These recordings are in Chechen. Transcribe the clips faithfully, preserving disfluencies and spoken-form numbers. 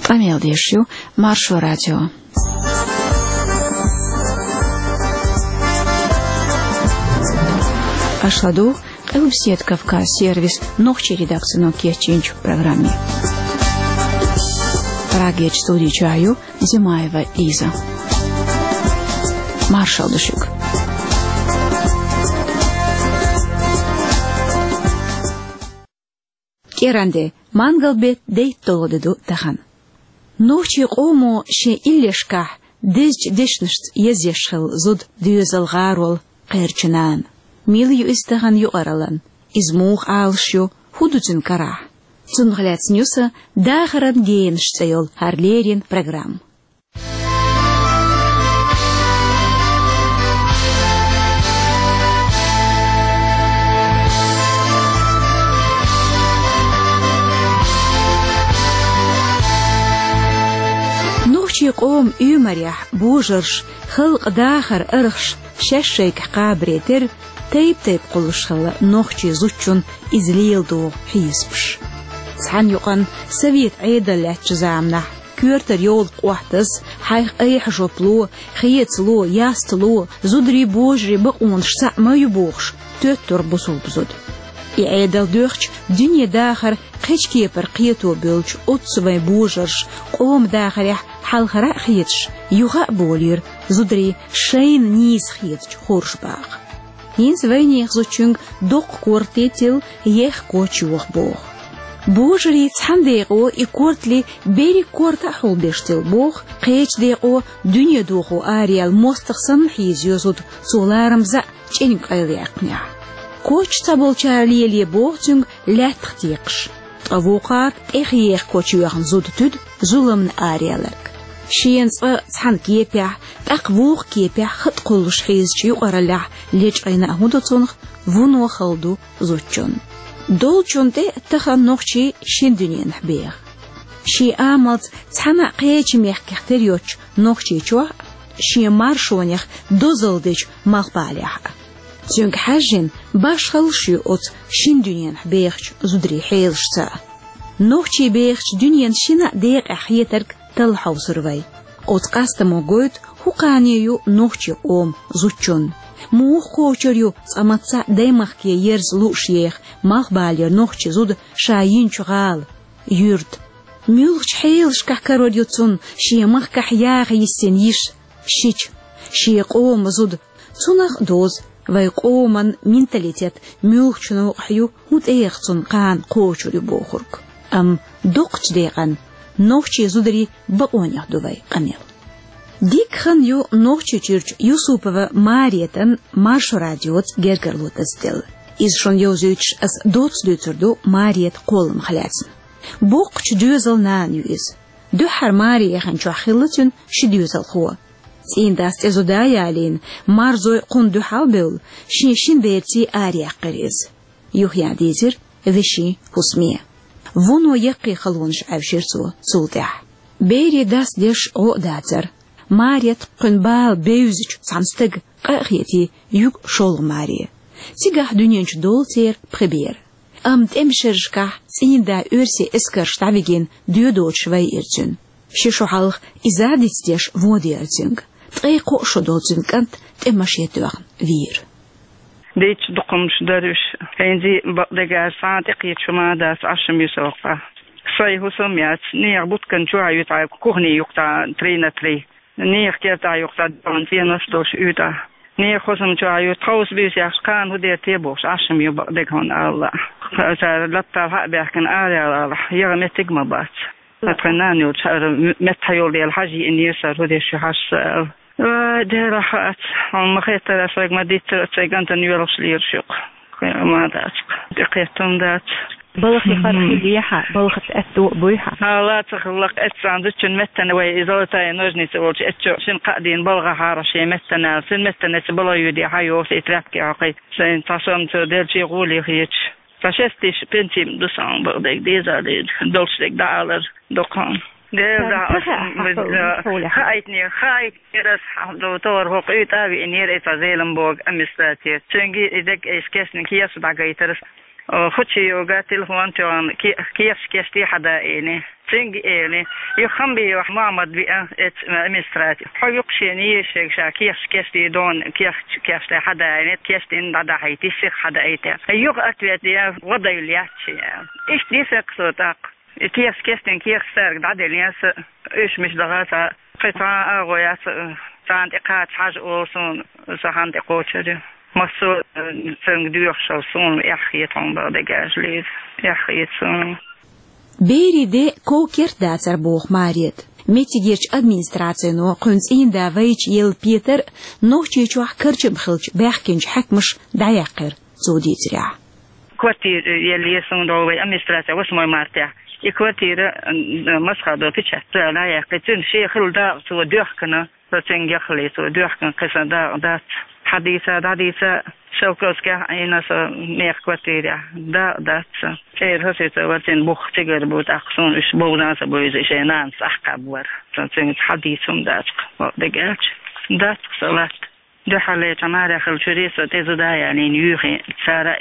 Къамел деш ю Маршо радио. Аша ладугӀу Къилбаседа Кавказ сервисан нохчийн редакцино кечйинчу программе. Прагерчу студи чохь ю Зимаева Лиза. Маршалла ду шуьга. КӀиранде, мангал беттан дейтталгӀа де ду тахана. Нохчийн къомо шен иллешкахь дезачу дешнашца езъеш хилла зуда доьзал, гӀарол, кхерчу нана. Мила ю иза тахана юкъараллин? Иза муха Ӏалаш ю? ХӀун ду цуьнан карахь? Цунах лаьцна ю сан «Дахаран генаш» цӀе йолу хӀара леррина программа. Нохчийн къоман оьмарехь божарша, халкъан дахаран архаша шаьш шайгахь кхабаре терра, тайп-тайпа кхуллуш хилла нохчийн зудчун иза леладогӀу хьесапаш. Цхьана юкъана совет Ӏедал лаьттачу заманахь коьртара йовлакх Ӏоттаз, хьайх айхьа жоп ло, хецало, ястало, зударий, божарий бакъонаш цхьаъ ма ю бохуш, тоьттура бусулба зуда. И Ӏедал доьхча, дуьне дахар кхечу кепара кхето бевлча, оццу вайн божарша, къоман дахарехь хьалхара а хеташ, юха а болийра зударий шайна нийса хетачу хӀорш баха. ХӀинца вайнехан зудчуьнга доккха корта тилла, ехха коч йоха боху. Божарий цхьана декъо и кортале берриг корта а хьулбеш тилла боху, кхечу декъо дуьне дохо араяьлла мостагӀа санна хьийзайо зуда, цо ларамаза а чӀениг къайлаяьккхинехь. Коч цхьаболчара лелае боху цуьнга лаьттах текхаш. Ткъа вукхара тӀех еха коч йоьхна зуда туьду зуламна араяьлларг. Шена цкъа цхьана кепехь, тӀаккха вукху кепехь хатӀ кхуллуш хьийзачу юкъараллехь лечкъийна а хӀун ду цунах, вуно хала ду зудчун. Долчунна тӀе тахана нохчий шина дуьненахь беха. Шен амалца цхьана а кхечу мехкех тера йоцучу Нохчийчохь а, шен маршонех дозалла дечу Малхбалехь а. Цуьнга хьаьжжина, башхаллаш ю оцу шина дуьненахь бехачу зударийн хьелашца а. Нохчий бехачу дуьненан шина а декъехь хетарг талла хьовсур вай. Оцу къастамо гойту, хӀун кхане ю нохчийн къоман зудчунна. Муха кхочур ю цкъа мацца а даймахке ерза лууш еха Малхбалера нохчи зуда ша йинчу гӀала, юьрта? Муьлхачу хьелашкахь карор ю цунна шен махкахь яха йиссина йиша, шича, шен къоман зуда? Цунах а доьзна, вайн къоман менталитет муьлхачу новкъахь ю, хӀун тӀех цунна кхана кхочур ю бохург. Амма доккхачу декъана нохчийн зударийн бакъонех ду вайн къамел. Дика хан ю Нохчийчуьрчу Юсупова Маретан Маршо радиоца гергарло дазделла. Иза шуна йовзуьйтуш ас доцца дуьйцур ду Маретан кхолламах лаьцна. Боккхачу доьзалан нана ю иза. Дуьххьара маре яханчохь хилла цуьнан ши доьзалхо. ЦӀийнан дас цӀе зуда а ялийна, марзой кхунна дуьхьал а бевлла, шен шина берций араяьккхира иза. Юхаян дийзира вешин хӀусаме. Вуно яккхий халонаш Ӏаьвшира цо цул тӀаьхьа. Берийн дас деш гӀо а дацара. Маретта кхуьнан бала бевзачу цхьана стага къа а хетий, юьгу шолгӀа маре. Цигахь дуьнен чу долу церан пхи бер. Амма тӀеман шерашкахь цӀийнан да оьрсийн эскарша дӀавигина доьдочуш вайира цуьнан. Ши шо хьалха иза а дицдеш вон деара цуьнга. Ткъе кхо шо долу цуьнан кӀант тӀе машен тоьхна вийра. Дийцча дукха хӀуманаш дара уьш. ХӀинца бакъдерг аьлча, цхьа а тӀекхеташ хӀума а дац, Ӏаш ма ю со хьокъехь. Сайн хӀусам яц, нехан буткан чохь а ю тхьа кухни юккъехь три на три. Нехан кертахь юккъехь догӀан цӀенош долуш уьйтӀахь. Нехан хӀусам чохь а ю, тховса буьйса яхча, кхана хӀун дер те бохуш, Ӏаш ма ю бакъдерг хьуна аьлла. Цара латтал хьа а баьхкина, араяьлла, яха меттиг а ма бац. Ткъа тхайн нана йолчу хьара метта йолу дела хьажа йиънера сан, хӀун деш ю хьажа сан аьлла. Вай, Дела, хаьац, хьуна ма-хеттара, ас вайга ма-дийццара, ас вайн кӀантана йоьлхуш лелаш ю-кх. Ма дац-кх, тӀекхетта хӀума дац. Балхе хӀара хилла яхьа, балхаца аьтто а буй хьан? Хьала ца хилла-кх, эццахь зудчун меттана вай и золотая ножница волчу эццо шина кхаа дийна балха хьара шен меттана аьлла. Цуьнан меттана эцца балха юьйде хьан йоху и тряпки хьокхий, шайна цхьа сом ца делчий гӀоле хеташ. Сан шестиш пенсим ду сан бакъдерг деза деза, долуш дерг дӀаалар доккхун. Деза, хаийтинера, хаийтинера ас хьан товар хӀокху уьйтӀа а виънера, и цхьа Зелимбога амистатер. Цуьнга и дерг эйш кешниг хеса дӀагайтара. О, хучи йога телефон тёган кеш кешти хьада эни. Цинг эни. Ю хамби ю Мухаммад би а эц администраци. Хо юкшени ешег ша кеш кешти дон кеш кешти хьада эни. Кешти дада хайти сих хьада эте. Юг ответ я вода юлячи. Иш дисек сотак. Кеш кешти кеш сарг дада лес. Иш миш дагата. Кхетан а гояц. Цан текат хаж олсун. Сахан текочери. Масу цинг дюхшал сун яххетон ба дегажлиз. Яххетсун. Бериде кокерт дацар бох Марет. Метигерч администрацино кхунц инда вайч ел Петр нохчи чух карчам хилч бахкинч хакмаш даяхер цудицря. Квартир ел есун долвай администрация восьмой марта. И квартира масхадо печать цала яхкицин шехил да цу дёхкана. Со цинг яхли цу дёхкан кисан да дац. Хадиса дадиса Шелковская айна со мех квартира да дац. Цер хасица варцин бух цигар бут ахсун иш богдан са бойз ишенан сахкабвар. Со цинг хадисум дацк. Дегелч дацк салат. Духале тамара хал чури со тезу да янин юхи сара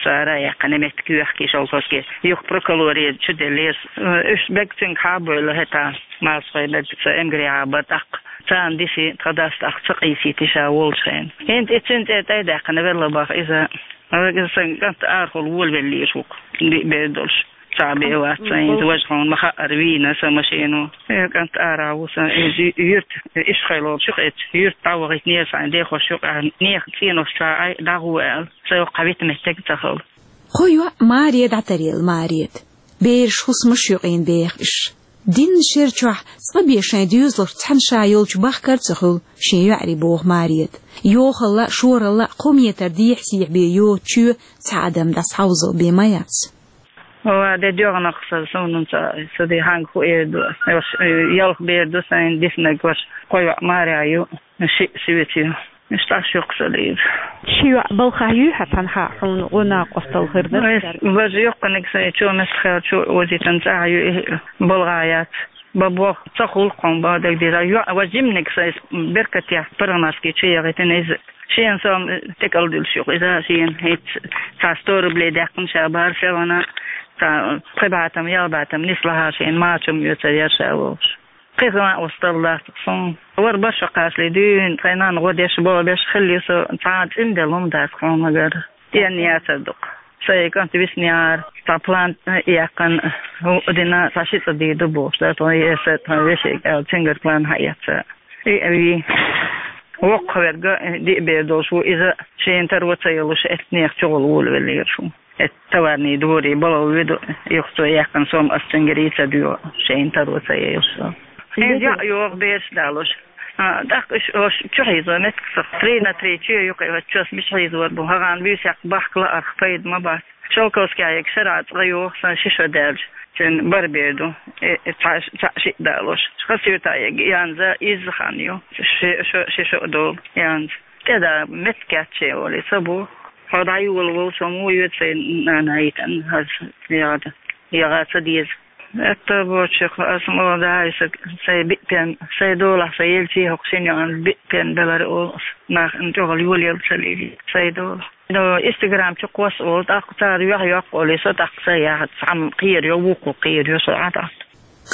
сара яккана мет кюхки Шелковский. Юх проколори чуделес. Иш бек цинг хабойла хета. Масхой бек са эмгри абатак. Цан диси тхадаст ах цакъиси тиша волчхен. Энд эцен те тайдакъ навелла бах иза. Ава сан гант архул волвелли шук. Бедолш. Цабе ватсан инз важхон маха арвина са машину. Гант ара вусан инз юрт ишхайлол шук эц. Юрт тавагит нерсан де хошук а нех цинос ца ай дагуэл. Са юк хавит меттек цахал. Хойо Мария датарел Мариет. Берш хусмаш юк ин бех иш. Дин шер чохь цкъа бешайн доьзалгӀа цхьана ша йолчу бахкар ца хуьлу шен йоӀари боху Мариет. Йохалла, шоралла кхо метр дехьа-сехьа бен йоцучу цхьа адам дӀасхьовзал бен ма яц. Ва де доьгӀнах са, суна ца, ца де хьанга хӀу эр ду. Ялх бер ду сайн диснарг ваша, кхо йоӀ Маря ю, шиъ суьйцу ю. Иштта аш юккъа ца лийза. Ши йоӀ балхахь юй хьан цхьанхьа хьуна гӀо накъостал хир дара? Вай важа юккъаниг сайн чу меттахъял чу озитан цӀахь ю и балгӀа яц. Бабох ца хулкхун ба дагдира. ЙоӀ ва жимниг сайн беркатех паргӀатски чу ягӀитина иза. Шен сом текал дилш юкъа иза шен хӀинца ца сто рублей даьккхина ша бара севана. Ца пхи батам, ял батам нислаха шен мачум ю ца яр ша волуш. Кхин а устал дац суна. Вара баша кхашле дуьйна, тхайнан гӀо деш бо беш хилли со, цхьа цӀинделла хӀума дац хьуна гара. Стен яцар дукха. Сайн кӀант виснияр, цхьа план яьккхина, хӀу дина, цхьа ши цӀа дийр ду бохуш, да, тхо эса, тхо вешега аьлла, цуьнгара план хьаэца. И, и, воккхаверга диъ бер долуш ву иза, шена таро ца йолуш, эцнех чугӀула волавеллера шу. Эт товарный дворе бала виду, юхцо яьккхина сом ас цуьнгара ца дуьйгӀу, шайна таро ца ейла со. Хьен яа йогӀу бераш далуш. А, тӀаккха уьш ош чу хьийзо меттиг сох. Три на три чу юкъе вац чос миш хьийзор бу. ХӀагӀан буьйсехь бахка лаарх пайда ма бац. Шелковская шара цкъа йогӀу сан ши шо даьлча. Цуьнан бара бер ду. Э, э, цхьа ш-, цхьа шиъ далуш. Хасуьйтаег янза изза хан ю. Ши шо, ши шо долу янза. ТӀеда меттиг кечче олий, ца бу. Хьо дӀайола волчу муха йоьду сайн нана йитан, хаза ягӀа, ягӀа ца деза. Этта бочух, ас мо даиса, сайн биъ пен, сайн долахь, сайн елчий хӀокху шина йоӀан биъ пен белара олу ас. Нах ин чӀогӀал йолаелла ца лийли, сайн долахь. Ну, Instagram чу кхосса олу, тӀаккха цара юьхь йоккха олий, со тӀаккха сайн яхьа, цхьамма кхера йо, вукхо кхера йо, со Ӏа тӀаккха.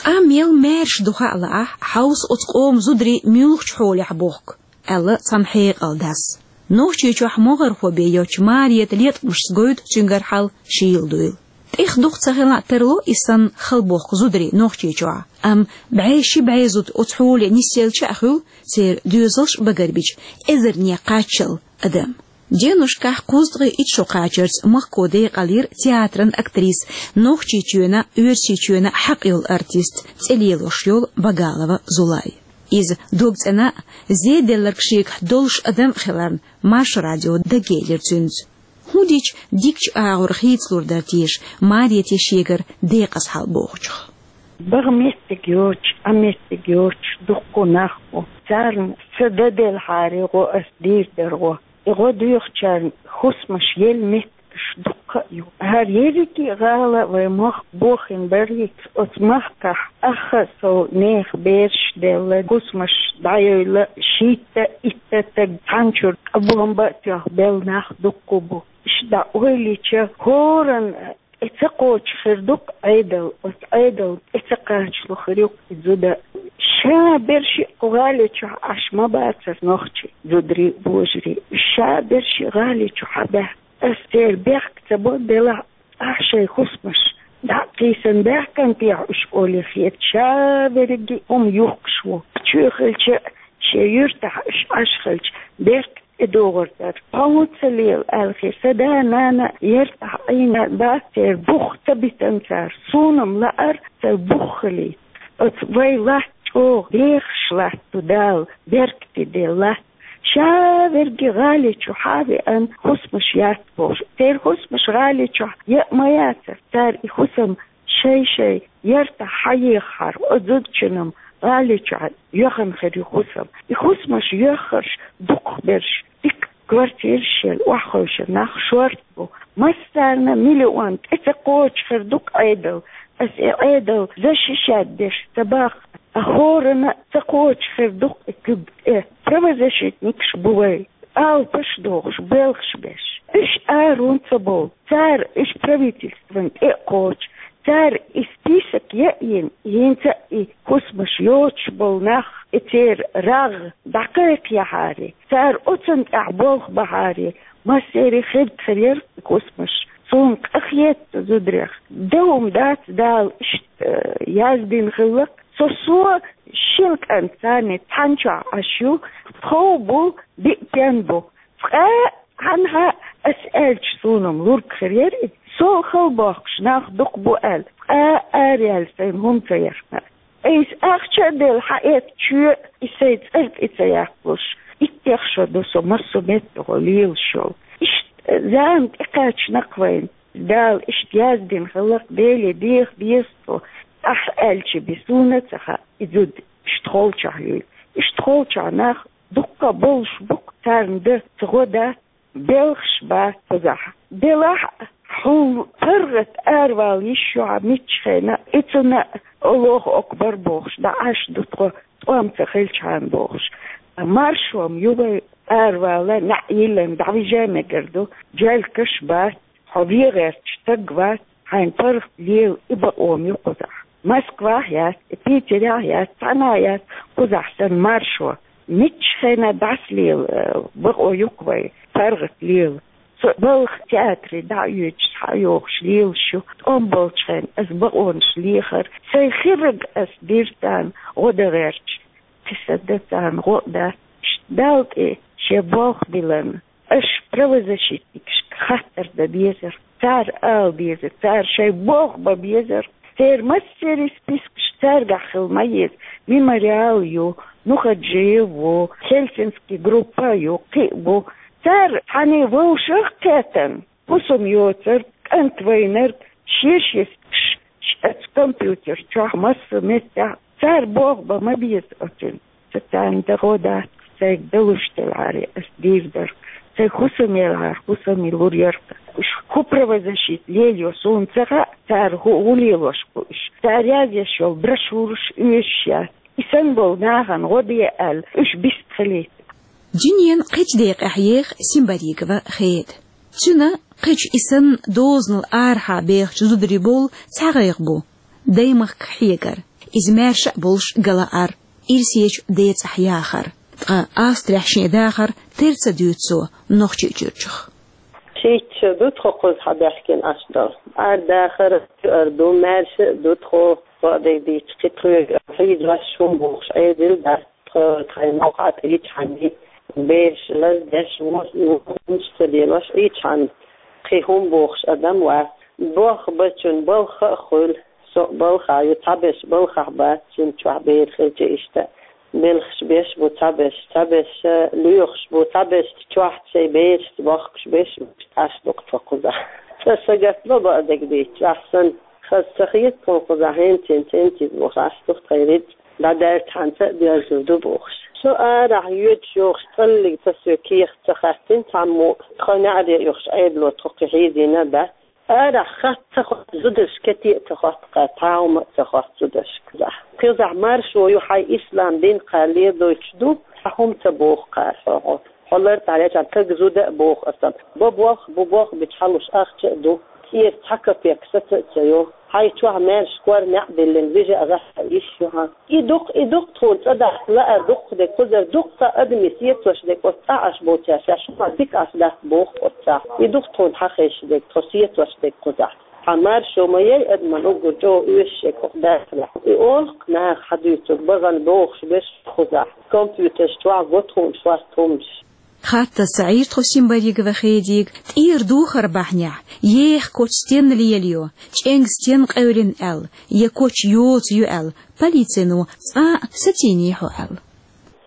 Къам мел маьрша ду хаьа лаахь, хьовса оцу къоман зударий муьлхачу хьолехь бохку. Аьлла цхьана хьекъал дас. Нохчийчохь могӀархо бен йоцчу Марета леткъамашца гойту цуьнгара хьал шийла дуйла. ТӀех дукха ца хилла а тарло и санна хала бохку зударий Нохчийчохь, амма бӀе ши бӀе зуда оцу хьоле нисъелча а хуьлу, церан доьзалш а багарбича, эзарнех кхаччалла адам. Денушкахь кхузткъе итт шо кхачарца махко декъалйира театран актриса, Нохчийчоьнан, Оьрсийчоьнан хьакъ йолу артист, цӀе лелош йолу Багалова Зулай. Иза дог цӀена а, зеделларг шегахь долуш адам а хиларна, Маршо радио дагелира цуьнца. ХӀун дича дикачу агӀор хийцалур дара теша Марете шегара декъаза хьал бохучух. Бага меттиг йоцуш, а меттиг йоцуш, дуккха нах бу. Царна ца даделхьаре гӀо ас дийр дара гӀо. И гӀо доьхучарна хӀусамаш елла меттигаш дуккха а ю. ХӀара ерриге а гӀала вай мохк бохийна барийца оцу махкахь ахха а сов нехан бераш а делла, хӀусамаш дӀайойла, шийтта, итта таг цхьанчуьра къабоьхам бан а тоьхна белла нах дуккха а бу. Иштта ойла йича, хӀоранна тӀе ца кхочуш хир ду-кх Ӏедал, оцу Ӏедал тӀе ца кхачало хир ю-кх и зуда. Ша берш а кху гӀали чохь Ӏаш ма бацара нохчий, зударий, божарий. Ша берш а гӀали чу хьабаьхкина, ас церан бехк ца бо, делахь а, ахь шайн хӀусамаш дӀа а кхийсина баьхкина техьа уьш олий хета, ша верриге а хӀума юхкуш ву. Чоь хилча а, шен юьртахь уьш Ӏаш хилча, беркат тӀедогӀур дара. Тхо хӀун ца лела аьлла хир, сан да-нана яртахь Ӏийна бац, церан бух ца битина цара. Суна-м лаьара церан бух хилийта. Оцу вай латта чӀогӀа дехаш латта ду Дала, беркате делла латта. Ша верриге гӀали чу хьа а веана, хӀусамаш яц бохуш. Церан хӀусамаш гӀали чохь яа а ма яцара. Цара и хӀусам шай-шайн яртахь хьаехахьара, оцу зудчунна-м гӀали чохь йоьхна хир ю хӀусам. И хӀусамаш йоьхнарш дукхахберш, дика квартираш елла, охьахевшина нах шорта бу. Массарна миллион тӀе ца кхочуш хир ду-кх Ӏедал. Ас и Ӏедал защищать деш ца боху, а хӀоранна а ца кхочуш хир ду-кх и куьг тӀе. Правозащитникаш бу вай, алапаш дохуш, белхаш беш. Уьш аруна ца бовлу, цара уьш правительствана тӀе а кхочу, цара и список яа а йина, хӀинца а и хӀусамаш йоцуш болу нах, и церан рагӀ дӀакхайкхаяхьара, цара оцунна тӀехь болх бахьара, массеран хирда хир яра и хӀусамаш. Суна къахета цу зударех. Дан хӀума дац, Дала иштта, э, яздина хилла-кх. Со, со шина кӀант царна цхьана чохь Ӏаш ю, тхов бу, биъ пен бу. Цкъа а, хьанхьа а ас аьлча, суна-м лург хир яра и, со хала бохкуш нах дукха бу аьлла, цкъа а араяьлла сайна хӀума ца яхна. Айса ахча а делла, хьаэцна чоь, и сайн цӀарна тӀе ца яккхалуш, иттех шо ду со массо а меттехула лелаш йолу. Иштта зама тӀекхаьчна-кх вайна. Дала иштта яздина хилла-кх, Деле деха деза тхо. Ахь аьлча бен суна а ца хаьа, и зуда иштта холчохь юйла. Иштта холчохь нах дуккха а болуш бу-кх, царна дан ца гӀо дац, белхаш бац кхузахь. Делахь а, хьуна паргӀат аравала йиш ю хьан миччахьа а, и цунна а Аллаху акбар бохуш, дӀа Ӏаш ду тхо, тӀом ца хилчхьана бохуш. Маршо-м ю вай аравала, неӀ йиллина дӀавижа мегар ду, джелкаш бац, хьо вен гӀерташ стаг вац, хьайна паргӀат лела и бакъо-м ю кхузахь. Москвахь яц, Питерехь яц, цхьанхьа яц кхузахь санна маршо. Миччахьа а дӀасалела, э, бакъо ю-кх вай, паргӀат лела. Со балха театре дӀа а оьцуш, схьа а йогӀуш лелаш ю. ТӀом болчхьана ас бакъонаш лехара, сайн хирарг ас дира царна гӀо дан гӀерташ. Кхин сан дан царна гӀо а дац. Иштта Далла тӀе шен болх биллина, аша правозащитникашка хаттар дан безара, цара ала безара, цара шайн болх бан безара. Церан массеран спискаш цаьргахь хила ма еза. Мемориал ю, Нухаджиев ву, Хельсинский группа ю, кхин а бу. Цара цхьаьна вовшах а кхетта, хӀусам йоцург, кӀант вайнарг, шен-шен спискаш оцу компьютер чохь массо а меттехь, цара болх бан ма беза оцунна. Сан царна дан гӀо дац, сайга далуш делахьара ас дийр дара. Сайн хӀусам елахьара, хӀусаме лур яра-кх. Уьш хӀун правозащита лелайо суна ца хаьа, цара хӀу-, хӀун лелош бу уьш. Цара язъеш йолу брошюраш оьшуш яц. И санна болу нахана гӀо де аьлла, уьш бист хилийта. Дуьненан кхечу декъехь еха Симбаригова Хеда. Цуьнан кхечу и санна дозанал арахьа бехачу зударийн бовла цхьа гӀайгӀа бу: даймахках хьегар, иза маьрша а болуш галаар, ирсечу децӀахь яхар. Ткъа Австрехь шен дахар тера ца дуьйцу цо Нохчийчуьрчух. Шийтта шо ду тхо кхузахь баьхкина Ӏаш долу. Арадахар а ду, маьрша а ду тхо, бакъдерг дийцича, кхин тхоьга хьийзош хӀума бохуш Ӏедал дац. Тхо тхайн новкъа тӀе ичхьана бераш лаздеш, вон-, вон хӀумаш ца лелош, ичхьана кхин хӀума бохуш адам вац. Болх бечун балха а хуьлу, со а балхахь ю, цхьаберш балхахь бац, шина чохь бер хилча иштта. Белхаш беш бу цхьаберш, цхьаберш лоьхуш бу, цхьаберш чохь шайн берашца бохкуш беш бу, Ӏаш ду-кх тхо кхузахь. Цкъа сагатдо, бакъдерг дийцича, ахь санна, хаза ца хета тхуна кхузахь, хӀинца-хӀинца, хӀинца иза бохуш, Ӏаш ду-кх тхайн рицкъ. ДӀадерза хьан ца а доьрзур ду бохуш. Со арахь йоьдуш йогӀуш цӀаллиг ца соь кехат ца хаттина цхьаммо, тхо неӀаре оьхуш Ӏедало тхо кхин хьийзийна а дац. Арахь хатта ца хотту зударша кете а ца хотту кхара, цхьа хӀума а ца хотту зударша кхузахь. Кхузахь маршо ю, хьайн ислам дин кхара ледойтуш ду, цхьа хӀума ца боху кхара хьо гӀо. Хьо лар тӀехьа леча таг зуда а боху аса. Бо бох, бу бох бича хьалуш ахча а ду. ЦӀера цхьа капек саца а ца йо. Хьайн чохь маьрша кор неӀ биллина вижа а гӀахьа йиш ю хьан. И дукха, и дукха тхуна цӀа дахьа лаар дукха де кхузар дукха адамийн сецош де оцу цӀа Ӏаш боцаьрша, шу ма дика Ӏаш дац боху оцу цӀа. И дукха тхуна хьан хезаш де, тхо сецош де кхузахь. Хьан маршо ма яй адаман уггар чӀогӀа оьшуш шег хӀокху дахарехь. И олу-кх наха хьан дуьйцург, бахана бохуш берш кхузахь. Компьютерш чохь го тхуна шорта хӀуманаш. Хаттар ца Ӏийра тхо Симбаригова Хедига, тӀера духар бахьанехь, еха коч стенна лелайо, чӀенг стенна къевлина аьлла, я коч йоцу ю аьлла, полицино цкъа а сацийний хьо аьлла.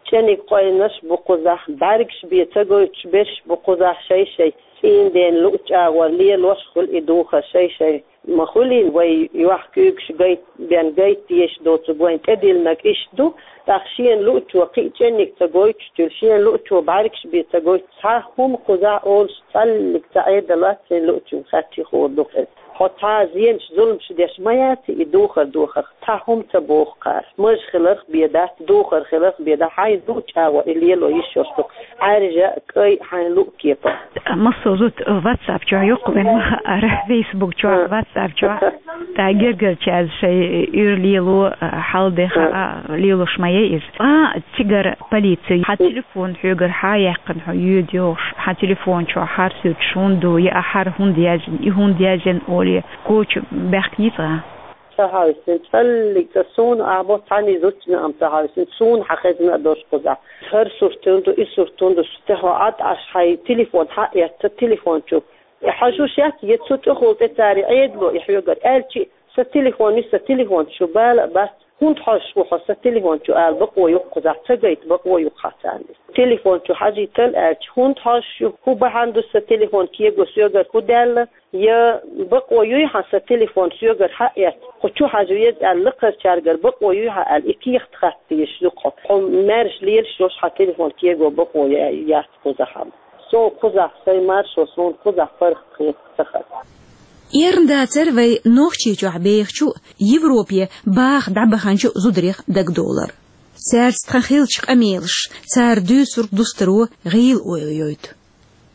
ЧӀениг къойнаш бу кхузахь, бӀаьргаш бен ца гойтуш берш бу кхузахь шай-шай. ЦӀийнден луъучу агӀор лелош хуьлу и духар шай-шай. Ма хуьлийла вай йохк-куьйгаш гайт-, бен гайта дезаш доцург вайн тӀедиллинарг иштта ду, тӀаккха шена луъучо кхин а чӀенниг ца гойтуш туьлу, шена луъучо бӀаьргаш бен ца гойтуш, цхьа хӀума кхузахь олуш цхьаллиг ца Ӏедаллац, шена луъучун хатти хуур ду-кх иза. Хьо цхьа а зенаш, зуламаш деш ма яц и духар дохарх, цхьа хӀума ца боху кхара. Мажа хиларх бен дац, духар хиларх бен дац, хьайн луъучу агӀор и лело йиш йолуш ду-кх. Ӏаьржа а, кӀай а, хьайн луъу кепара. Массо а зуда WhatsApp чохь йоккху вайн ма хаара, Facebook чохь, WhatsApp чохь. Ткъа гергарчаьрца шайн уьйр лело, хьал де хаа, лелош ма яй иза. Цкъа а цигара полици хьан телефон хьоьгара хьан яьккхина хьо йоьду йохуш, хьан телефон чохь хӀара суьрташ хӀунда ду, я ахь хӀара хӀунда яздина, и хӀунда яздина олий, коча баьхкиний цкъа? Ца хьовсина, цӀаллиг цӀа суна а бо, цхьаьний зудчунна а ца хьовсина, суна хьан хезна а долуш кхузахь. ХӀара сурт хӀунда ду, и сурт хӀунда ду, шу тӀехьо Ӏад Ӏаш хьайн телефон хьаэцна, телефон чу. Хьажуш яц, я цу чӀухула тӀе цара Ӏедало и хьоьгара аьлчи, сан телефон ю, сан телефон чу бала а бац, хӀунда хьожуш ву хьо сан телефон чу ала бакъо ю-кх кхузахь, ца гайта бакъо ю-кх хьан царна иза. Телефон чу хьажийтал аьлча, хӀунда хьожуш ю, хӀун бахьана ду сан телефон кего соьгара, хӀун даьлла, я бакъо юй хьан сан телефон соьгара хьаэцна, кху чу хьажа веза аьлла, лакхарчаьргара бакъо юй хьан аьлла, и кехат хатта дезаш ю-кх хьо. Хьо маьрша лелаш йолуш хьан телефон кего бакъо я-, яц кхузахь хьан. Суна кхузахь, сайн маршо суна кхузахь паргӀат хета ца хаза. Эрна дацара вай Нохчийчохь бехачу, Европе баха дӀабаханчу зударех дагадовлар. Цаьрца тхан хиллачу къамелаш, цара дуьйцург дустаро гӀийла ойла йойту.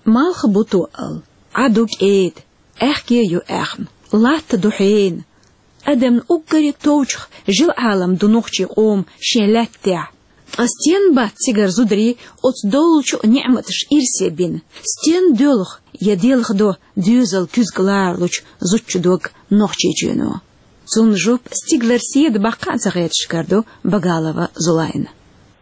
Малх бу тоъал, Ӏа ду кӀеда, аьхке ю аьхна, латта ду хьена. Адамна уггаре товчух жил-Ӏалам ду нохчийн къоман шен лаьтта тӀехь. Ткъа стенна бац цигара зударий оцу доллучу ниӀматаша ирсе бина? Стенна доьлху я делха до доьзал куьзга ларалучу зудчун дог Нохчийчоьно? Цунна жоп стигалара седа баккха а ца хеташ карадо Багалова Зулайна.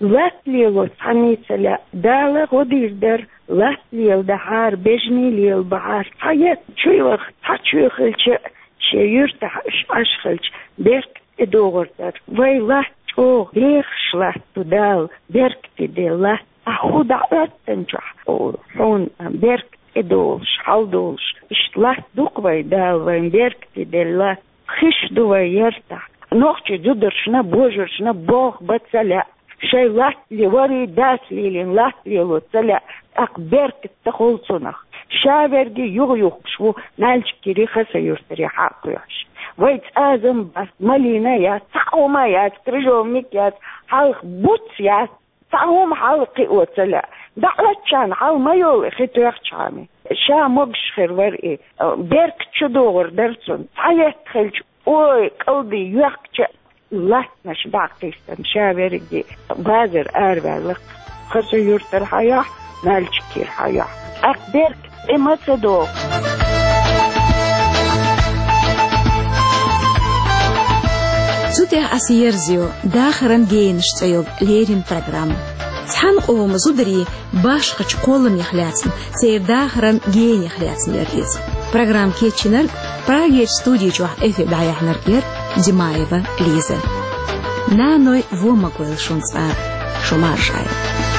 Латта лело цхьанний ца лаьа, Дала гӀо дийр дара, латта леладахьара, бежаний лелабахьара, цхьа етта чу йоьху, цхьа чоь хилча а, шен юьртахь уьш Ӏаш хилча, беркат тӀедогӀур дара. Вай латта чӀогӀа дехаш латта ду Дала, беркате делла латта. Ахь хӀун дӀа Ӏоьттинчохь хьуна беркат тӀедолуш, хьалдолуш, иштта латта ду-кх вай Дала, вайн беркате делла латта. Хиш ду вай яртахь. Нохчий зударшна, божаршна болх бан ца лаьа. Шайн латта ле-, варий дас лелийна латта лело ца лаьа, тӀаккха беркат ца хуьлу цунах. Ша верриге юха юхкуш ву Нальчикире, Хасавюртаре хьа а кхоьхьуш. Вай цӀазам бац, малина яц, цхьа а хӀума яц, крыжовник яц, хьалха буц яц, цхьа а хӀума хьалха кхио ца лаьа. ДӀа Ӏоьттича хьал ма йолу и хи тоьхчахьана. Ша могуш хир вара и, беркат чу догӀур дара цунна. Цхьа етта хилча, ой, кӀалдий йоьхкича а, латтанаш дӀа а кхийсина, ша верриге базар араваьлла-кх. Хасавюртара хьайохь, Нальчикера хьайохь. ТӀаккха беркат тӀе ма ца догӀу. Цу тӀехь аса ерзайо «Дахаран генаш» цӀе йолу леррина программа. Цхьана къоман зударийн башхачу кхолламех лаьцна, церан дахаран генех лаьцна яра иза. Программа кечйинарг, Прагерчу студи чохь эфир дӀаяьхьнарг яра Димаева Лиза. Наной вон ма гойла шуна цкъа а, шу марша Ӏойла.